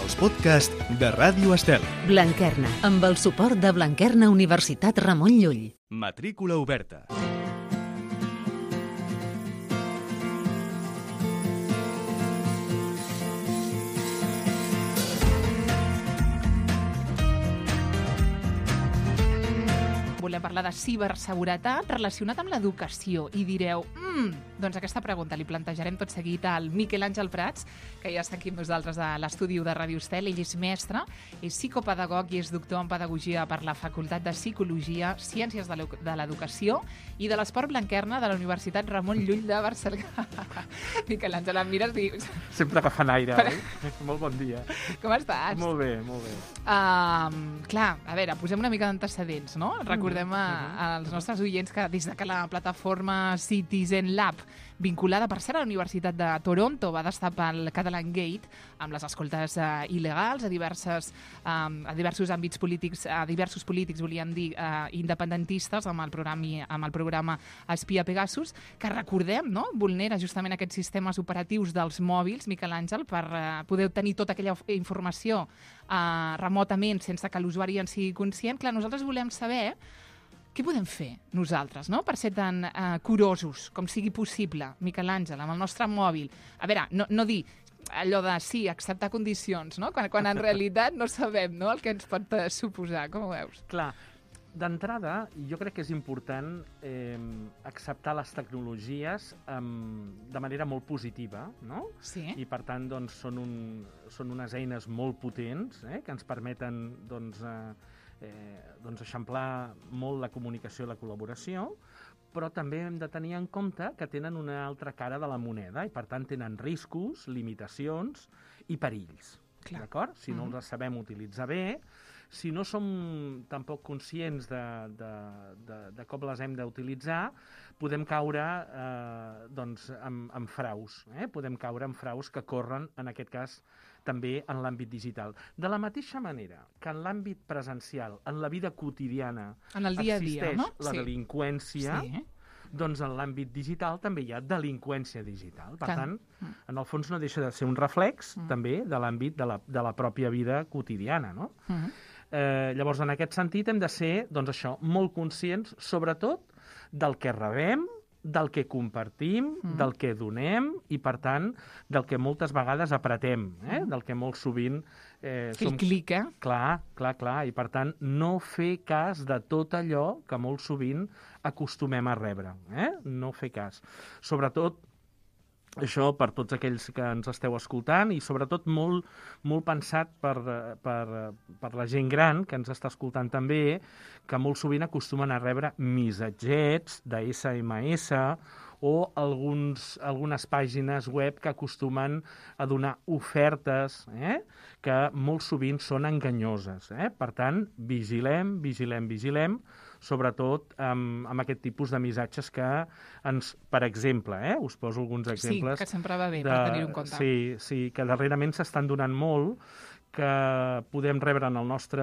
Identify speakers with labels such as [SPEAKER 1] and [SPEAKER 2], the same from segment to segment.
[SPEAKER 1] els podcasts de Ràdio Estel.
[SPEAKER 2] Blanquerna, amb el suport de Blanquerna Universitat Ramon Llull.
[SPEAKER 1] Matrícula oberta.
[SPEAKER 3] Volem parlar de ciberseguretat relacionat amb l'educació i direu, doncs aquesta pregunta li plantejarem tot seguit al Miquel Àngel Prats, que ja està aquí amb nosaltres a l'estudi de Ràdio Estel. Ell és mestre, és psicopedagog i és doctor en pedagogia per la Facultat de Psicologia, Ciències de l'Educació i de l'Esport Blanquerna de la Universitat Ramon Llull de Barcelona. Miquel Àngel, em mires i...
[SPEAKER 4] Sempre agafant aire, oi? Molt bon dia.
[SPEAKER 3] Com estàs?
[SPEAKER 4] Molt bé, molt bé.
[SPEAKER 3] Clar, a veure, posem una mica d'antecedents, no? Recordem als nostres oients que des de que la plataforma Citizen Lab, vinculada per ser a la Universitat de Toronto, va destapar el Catalan Gate amb les escoltes il·legals a diversos àmbits polítics, a diversos polítics, volíem dir, independentistes, amb el programa Espia Pegasus, que recordem, no?, vulnera justament aquests sistemes operatius dels mòbils, Miquel Àngel, per poder obtenir tota aquella informació remotament sense que l'usuari en sigui conscient. Clar, nosaltres volem saber què podem fer nosaltres, no?, per ser tan curosos com sigui possible, Miquel Àngel, amb el nostre mòbil. A veure, no dir allò de sí, acceptar condicions, no?, quan en realitat no sabem, no?, el que ens pot suposar. Com ho veus?
[SPEAKER 4] Clar, d'entrada, jo crec que és important acceptar les tecnologies de manera molt positiva, no?
[SPEAKER 3] Sí.
[SPEAKER 4] I, per tant, doncs, són unes eines molt potents que ens permeten, doncs eixamplar molt la comunicació i la col·laboració, però també hem de tenir en compte que tenen una altra cara de la moneda i, per tant, tenen riscos, limitacions i perills. D'acord? Si no els sabem utilitzar bé, si no som tampoc conscients de com les hem d'utilitzar, podem caure en fraus. Podem caure en fraus que corren, en aquest cas, també en l'àmbit digital. De la mateixa manera que en l'àmbit presencial, en la vida quotidiana,
[SPEAKER 3] en el dia a dia,
[SPEAKER 4] existeix la delinqüència, doncs en l'àmbit digital també hi ha delinqüència digital. Per tant, en el fons no deixa de ser un reflex també de l'àmbit de la pròpia vida quotidiana, no? Llavors, en aquest sentit, hem de ser, doncs això, molt conscients, sobretot, del que rebem, del que compartim, del que donem i, per tant, del que moltes vegades apretem, del que molt sovint...
[SPEAKER 3] El clic,
[SPEAKER 4] Clar, i, per tant, no fer cas de tot allò que molt sovint acostumem a rebre. No fer cas. Sobretot, això per tots aquells que ens esteu escoltant i sobretot molt, molt pensat per la gent gran que ens està escoltant també, que molt sovint acostumen a rebre missatgets de SMS o algunes pàgines web que acostumen a donar ofertes que molt sovint són enganyoses. Per tant, vigilem, sobretot amb aquest tipus de missatges que ens, per exemple, us poso alguns exemples.
[SPEAKER 3] Sí, que sempre va bé per tenir-ho en compte.
[SPEAKER 4] Sí, que darrerament s'estan donant molt, que podem rebre en el nostre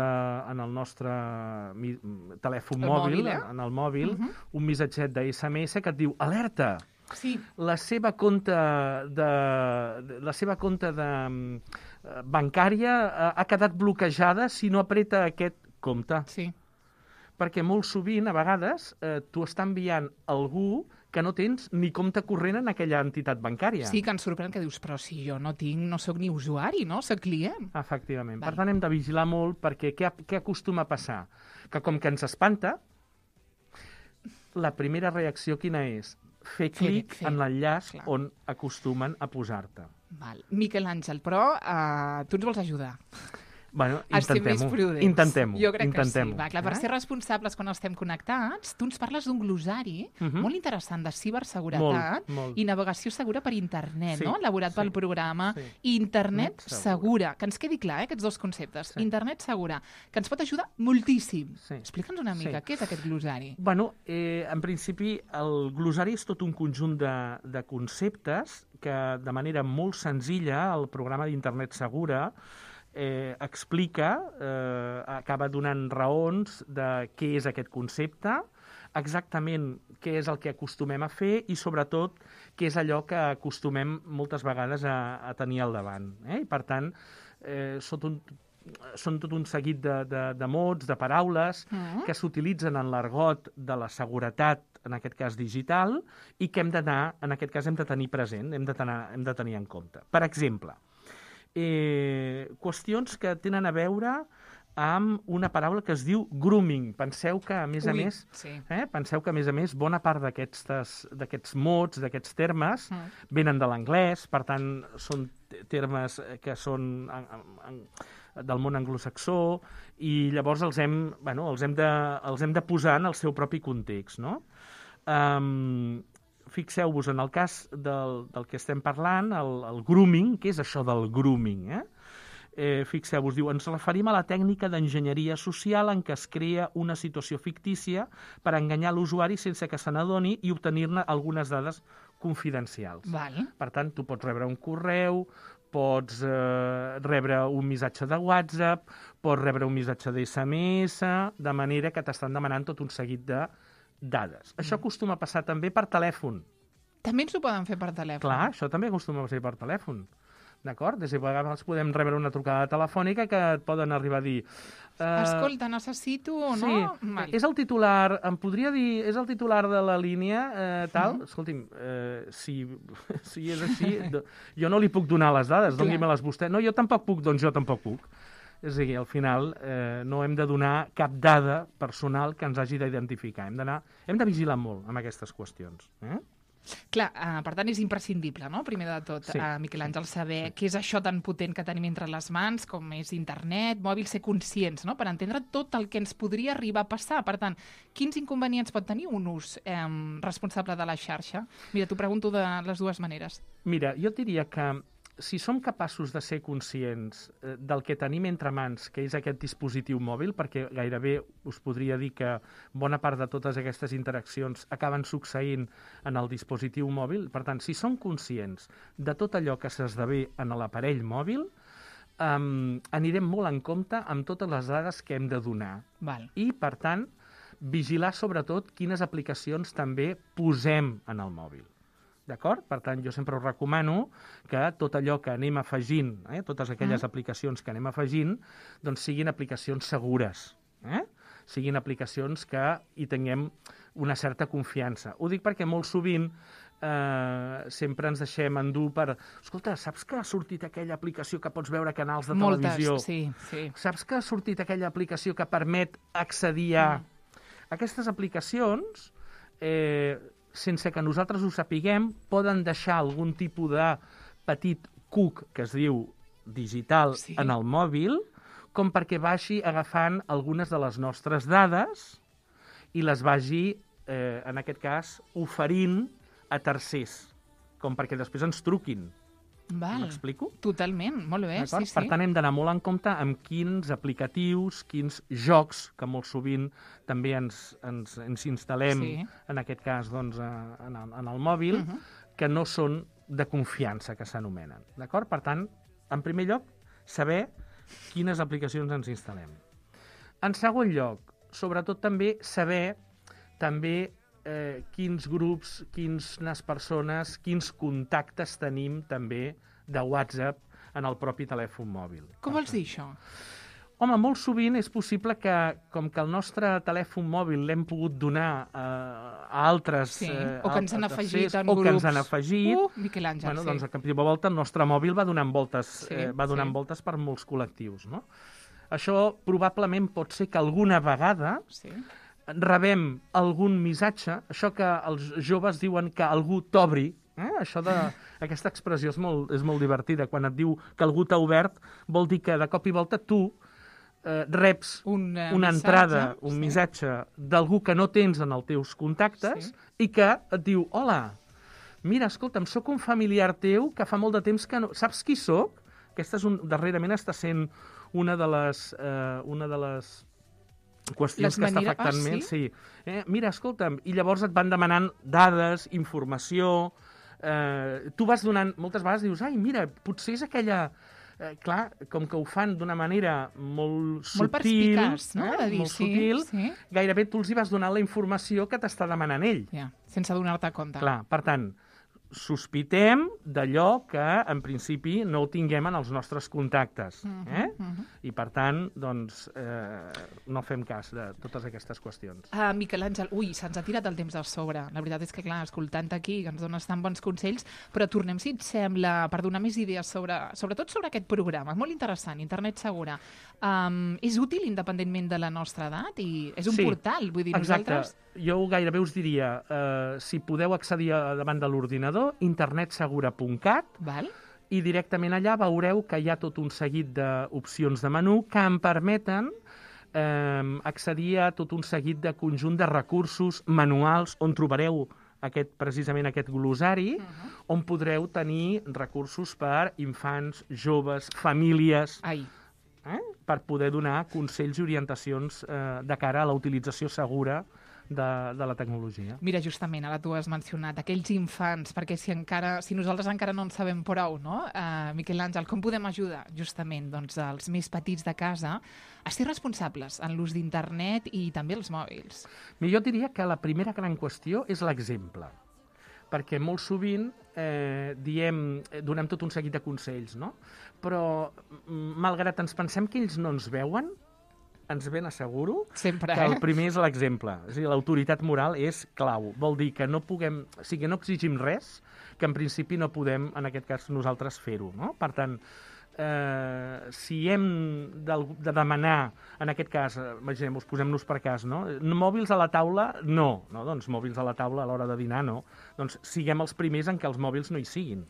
[SPEAKER 4] telèfon mòbil, en el mòbil, un missatget de SMS que et diu alerta!
[SPEAKER 3] Sí.
[SPEAKER 4] La seva compte bancària ha quedat bloquejada si no apreta aquest compte.
[SPEAKER 3] Sí.
[SPEAKER 4] Perquè molt sovint, a vegades, t'ho està enviant algú que no tens ni compte corrent en aquella entitat bancària.
[SPEAKER 3] Sí, que ens sorprèn que dius, però si jo no soc ni usuari, no? Soc client.
[SPEAKER 4] Efectivament. Per tant, hem de vigilar molt perquè què acostuma a passar? Que com que ens espanta, la primera reacció quina és? Fer clic en l'enllaç on acostumen a posar-te.
[SPEAKER 3] Miquel Àngel, però tu ens vols ajudar.
[SPEAKER 4] Bueno,
[SPEAKER 3] intentem-ho.
[SPEAKER 4] Intentem-ho.
[SPEAKER 3] Jo crec que sí. Per ser responsables quan estem connectats, tu ens parles d'un glosari molt interessant de ciberseguretat i navegació segura per internet, no? Elaborat pel programa Internet Segura. Que ens quedi clar, aquests dos conceptes. Internet Segura, que ens pot ajudar moltíssim. Explica'ns una mica, què és aquest glosari?
[SPEAKER 4] Bueno, en principi, el glosari és tot un conjunt de conceptes que, de manera molt senzilla, el programa d'Internet Segura explica, acaba donant raons de què és aquest concepte, exactament què és el que acostumem a fer i, sobretot, què és allò que acostumem moltes vegades a tenir al davant. I, per tant, són tot un seguit de mots, de paraules que s'utilitzen en l'argot de la seguretat, en aquest cas digital, i que hem d'anar, en aquest cas hem de tenir present, hem de tenir en compte. Per exemple, qüestions que tenen a veure amb una paraula que es diu grooming. Penseu que, a més a més, bona part d'aquests mots, d'aquests termes, venen de l'anglès, per tant, són termes que són del món anglosaxó, i llavors els hem de posar en el seu propi context, no? Fixeu-vos, en el cas del que estem parlant, el grooming, què és això del grooming, fixeu-vos, diu, ens referim a la tècnica d'enginyeria social en què es crea una situació fictícia per enganyar l'usuari sense que se n'adoni i obtenir-ne algunes dades confidencials.
[SPEAKER 3] Val.
[SPEAKER 4] Per tant, tu pots rebre un correu, pots rebre un missatge de WhatsApp, pots rebre un missatge d'SMS, de manera que t'estan demanant tot un seguit de dades. Això acostuma a passar també per telèfon.
[SPEAKER 3] També ens ho poden fer per telèfon.
[SPEAKER 4] Clar, això també acostuma a ser per telèfon. D'acord? Des de vegades podem rebre una trucada telefònica que et poden arribar a dir...
[SPEAKER 3] Escolta, necessito, no?
[SPEAKER 4] Sí, és el titular, em podria dir, és el titular de la línia, tal? Escolti'm, si és així, jo no li puc donar les dades, doni-me-les vostè. No, jo tampoc puc, doncs jo tampoc puc. És a dir, al final no hem de donar cap dada personal que ens hagi d'identificar. Hem de vigilar molt amb aquestes qüestions.
[SPEAKER 3] Clar, per tant, és imprescindible, no? Primer de tot, Miquel Àngel, saber què és això tan potent que tenim entre les mans, com és internet, mòbil, ser conscients, no? Per entendre tot el que ens podria arribar a passar. Per tant, quins inconvenients pot tenir un ús responsable de la xarxa? Mira, t'ho pregunto de les dues maneres.
[SPEAKER 4] Mira, jo diria que si som capaços de ser conscients del que tenim entre mans, que és aquest dispositiu mòbil, perquè gairebé us podria dir que bona part de totes aquestes interaccions acaben succeint en el dispositiu mòbil, per tant, si som conscients de tot allò que s'esdevé en l'aparell mòbil, anirem molt en compte amb totes les dades que hem de donar.
[SPEAKER 3] Val.
[SPEAKER 4] I, per tant, vigilar sobretot quines aplicacions també posem en el mòbil. D'acord? Per tant, jo sempre us recomano que tot allò que anem afegint, totes aquelles aplicacions que anem afegint, doncs siguin aplicacions segures. Siguin aplicacions que hi tinguem una certa confiança. Ho dic perquè molt sovint sempre ens deixem endur per... Escolta, saps que ha sortit aquella aplicació que pots veure canals de televisió?
[SPEAKER 3] Moltes, sí.
[SPEAKER 4] Saps que ha sortit aquella aplicació que permet accedir a... Aquestes aplicacions... sense que nosaltres ho sapiguem, poden deixar algun tipus de petit cuc, que es diu digital, en el mòbil, com perquè vagi agafant algunes de les nostres dades i les vagi, en aquest cas, oferint a tercers, com perquè després ens truquin.
[SPEAKER 3] Val.
[SPEAKER 4] M'explico?
[SPEAKER 3] Totalment, molt bé, sí.
[SPEAKER 4] Per tant, hem d'anar molt en compte amb quins aplicatius, quins jocs, que molt sovint també ens instal·lem, en aquest cas, doncs, en el mòbil, que no són de confiança, que s'anomenen. D'acord? Per tant, en primer lloc, saber quines aplicacions ens instal·lem. En segon lloc, sobretot també saber quins grups, quines persones, quins contactes tenim també de WhatsApp en el propi telèfon mòbil.
[SPEAKER 3] Com vols dir això?
[SPEAKER 4] Home, molt sovint és possible que, com que el nostre telèfon mòbil l'hem pogut donar a altres...
[SPEAKER 3] o que ens han afegit en grups.
[SPEAKER 4] O que ens han afegit.
[SPEAKER 3] Miquel Àngel,
[SPEAKER 4] doncs a cap de volta el nostre mòbil va donant voltes, voltes per molts col·lectius, no? Això probablement pot ser que alguna vegada rebem algun missatge, això que els joves diuen que algú t'obri, aquesta expressió és molt divertida, quan et diu que algú t'ha obert, vol dir que de cop i volta tu reps una entrada, un missatge d'algú que no tens en els teus contactes i que et diu, hola, mira, escolta'm, sóc un familiar teu que fa molt de temps que no... Saps qui sóc? Aquesta darrerament està sent una de les qüestions que està afectant més. Mira, escolta'm, i llavors et van demanant dades, informació, tu vas donant, moltes vegades dius, ai, mira, potser és aquella clar, com que ho fan d'una manera molt sutil...
[SPEAKER 3] Molt perspicaç, no? De dir,
[SPEAKER 4] molt sutil,
[SPEAKER 3] sí.
[SPEAKER 4] gairebé tu els hi vas donar la informació que t'està demanant ell.
[SPEAKER 3] Ja, sense donar-te compte.
[SPEAKER 4] Clar, per tant, sospitem d'allò que, en principi, no ho tinguem en els nostres contactes. I, per tant, doncs, no fem cas de totes aquestes qüestions.
[SPEAKER 3] Miquel Àngel, se'ns ha tirat el temps a sobre. La veritat és que, clar, escoltant aquí, que ens dones tan bons consells, però tornem, si et sembla, per donar més idees sobretot sobre aquest programa. Molt interessant, Internet Segura. És útil independentment de la nostra edat? I és un portal, vull dir, nosaltres...
[SPEAKER 4] Exacte. Jo gairebé us diria, si podeu accedir davant de l'ordinador, internetsegura.cat, i directament allà veureu que hi ha tot un seguit d'opcions de menú que em permeten accedir a tot un seguit de conjunt de recursos manuals on trobareu precisament aquest glossari, on podreu tenir recursos per infants, joves, famílies, per poder donar consells i orientacions de cara a la utilització segura de la tecnologia.
[SPEAKER 3] Mira, justament, ara tu has mencionat aquells infants, perquè si nosaltres encara no en sabem prou, no? Miquel Àngel, com podem ajudar justament els més petits de casa a ser responsables en l'ús d'internet i també els mòbils?
[SPEAKER 4] Jo diria que la primera gran qüestió és l'exemple, perquè molt sovint donem tot un seguit de consells, no? Però, malgrat ens pensem que ells no ens veuen, ens ben asseguro
[SPEAKER 3] sempre,
[SPEAKER 4] que el primer és l'exemple. És a dir, l'autoritat moral és clau. Vol dir que no puguem... O sigui, que no exigim res, que en principi no podem, en aquest cas, nosaltres fer-ho, no? Per tant, si hem de demanar, en aquest cas, imaginem-vos, posem-nos per cas, no? Mòbils a la taula, no. Doncs mòbils a la taula a l'hora de dinar, no. Doncs siguem els primers en què els mòbils no hi siguin.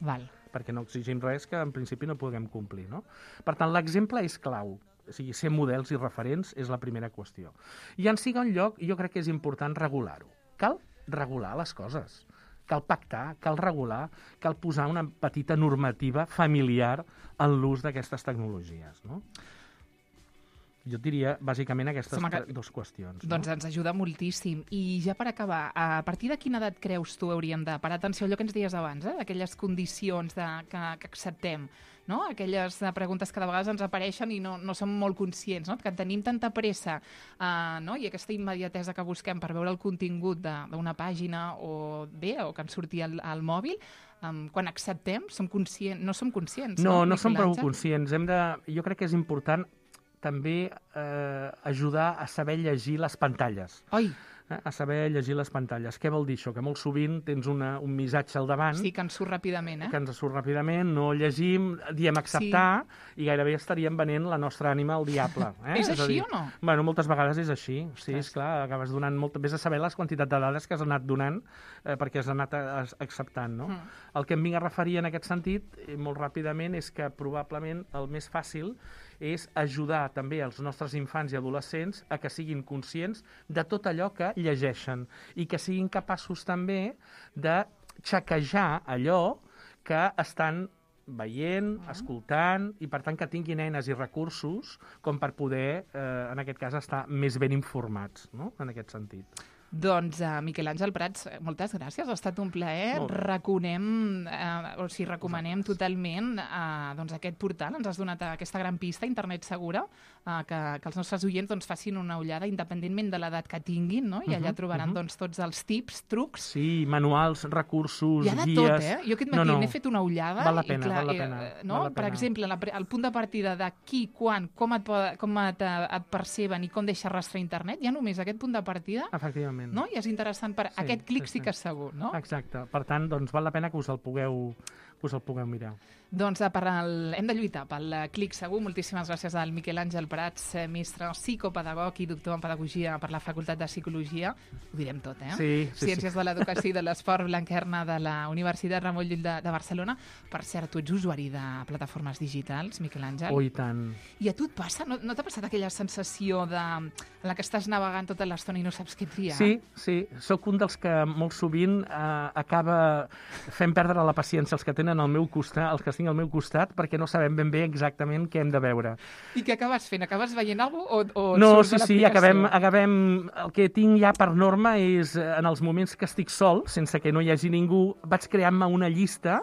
[SPEAKER 4] Perquè no exigim res que en principi no puguem complir, no? Per tant, l'exemple és clau. O sigui, ser models i referents és la primera qüestió. I en segon lloc, jo crec que és important regular-ho. Cal regular les coses. Cal pactar, cal regular, cal posar una petita normativa familiar en l'ús d'aquestes tecnologies, no? Jo diria, bàsicament, aquestes dues qüestions.
[SPEAKER 3] Doncs ens ajuda moltíssim. I ja per acabar, a partir de quina edat creus tu hauríem de parar atenció a allò que ens deies abans, d'aquelles condicions que acceptem, no? Aquelles preguntes que de vegades ens apareixen i no som molt conscients, no? Que tenim tanta pressa i aquesta immediatesa que busquem per veure el contingut d'una pàgina o que ens surti al mòbil, quan acceptem, no som conscients.
[SPEAKER 4] No som prou conscients. Jo crec que és important també ajudar a saber llegir les pantalles. A saber llegir les pantalles. Què vol dir això? Que molt sovint tens un missatge al davant...
[SPEAKER 3] Sí, que ens surt ràpidament,
[SPEAKER 4] Que ens surt ràpidament, no llegim, diem acceptar, i gairebé estaríem venent la nostra ànima al diable.
[SPEAKER 3] És així o no?
[SPEAKER 4] Bueno, moltes vegades és així. Sí, esclar, acabes donant vés a saber les quantitats de dades que has anat donant perquè has anat acceptant, no? El que em vinc a referir en aquest sentit, molt ràpidament, és que probablement el més fàcil és ajudar també els nostres infants i adolescents a que siguin conscients de tot allò que llegeixen i que siguin capaços també de xequejar allò que estan veient, escoltant, i per tant que tinguin eines i recursos com per poder, en aquest cas, estar més ben informats, no? En aquest sentit.
[SPEAKER 3] Doncs, Miquel Àngel Prats, moltes gràcies, ha estat un plaer. Recomanem totalment aquest portal. Ens has donat aquesta gran pista, Internet Segura, que els nostres oients facin una ullada independentment de l'edat que tinguin, no? I allà trobaran tots els tips, trucs.
[SPEAKER 4] Sí, manuals, recursos, guies...
[SPEAKER 3] Hi ha de tot, Jo aquest matí n'he fet una ullada.
[SPEAKER 4] Val la pena.
[SPEAKER 3] Per exemple, el punt de partida de qui, quan, com et perceben i com deixa rastre internet, ja només aquest punt de partida...
[SPEAKER 4] Efectivament.
[SPEAKER 3] No? I és interessant, aquest clic sí que és segur, no?
[SPEAKER 4] Exacte. Per tant, doncs val la pena que us el pugueu mirar.
[SPEAKER 3] Doncs hem de lluitar pel clic segur. Moltíssimes gràcies al Miquel Àngel Prats, mestre psicopedagog i doctor en pedagogia per la Facultat de Psicologia. Ho direm tot,
[SPEAKER 4] Sí.
[SPEAKER 3] Ciències de l'Educació i de l'Esport, Blanquerna de la Universitat Ramon Llull de Barcelona. Per cert, tu ets usuari de plataformes digitals, Miquel Àngel?
[SPEAKER 4] Oh, i tant.
[SPEAKER 3] I a tu et passa? No t'ha passat aquella sensació en la que estàs navegant tota l'estona i no saps què triar?
[SPEAKER 4] Sí. Soc un dels que molt sovint acaba fent perdre la paciència als que tenen al meu costat, els que tinc al meu costat, perquè no sabem ben bé exactament què hem de veure.
[SPEAKER 3] I què acabes fent? Acabes veient alguna cosa o
[SPEAKER 4] no,
[SPEAKER 3] surts de
[SPEAKER 4] sí,
[SPEAKER 3] l'aplicació?
[SPEAKER 4] acabem... El que tinc ja per norma és, en els moments que estic sol, sense que no hi hagi ningú, vaig creant-me una llista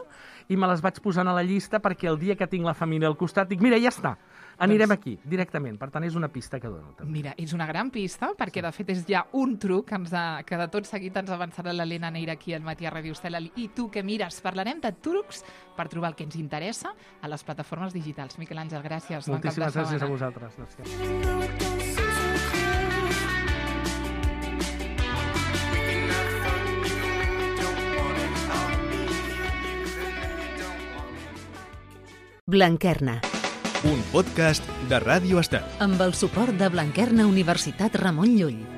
[SPEAKER 4] i me les vaig posant a la llista perquè el dia que tinc la família al costat dic, mira, ja està, anirem aquí, directament. Per tant, és una pista que dono. També.
[SPEAKER 3] Mira, és una gran pista, perquè de fet és ja un truc que de tot seguit ens avançarà l'Helena Neira aquí al Matí a Ràdio Estel. I tu què mires? Parlarem de trucs per trobar el que ens interessa a les plataformes digitals. Miquel Àngel, gràcies.
[SPEAKER 4] Moltíssimes gràcies a vosaltres. Gràcies.
[SPEAKER 2] Blanquerna,
[SPEAKER 1] Un podcast de Ràdio Estel.
[SPEAKER 2] amb el suport de Blanquerna Universitat Ramon Llull.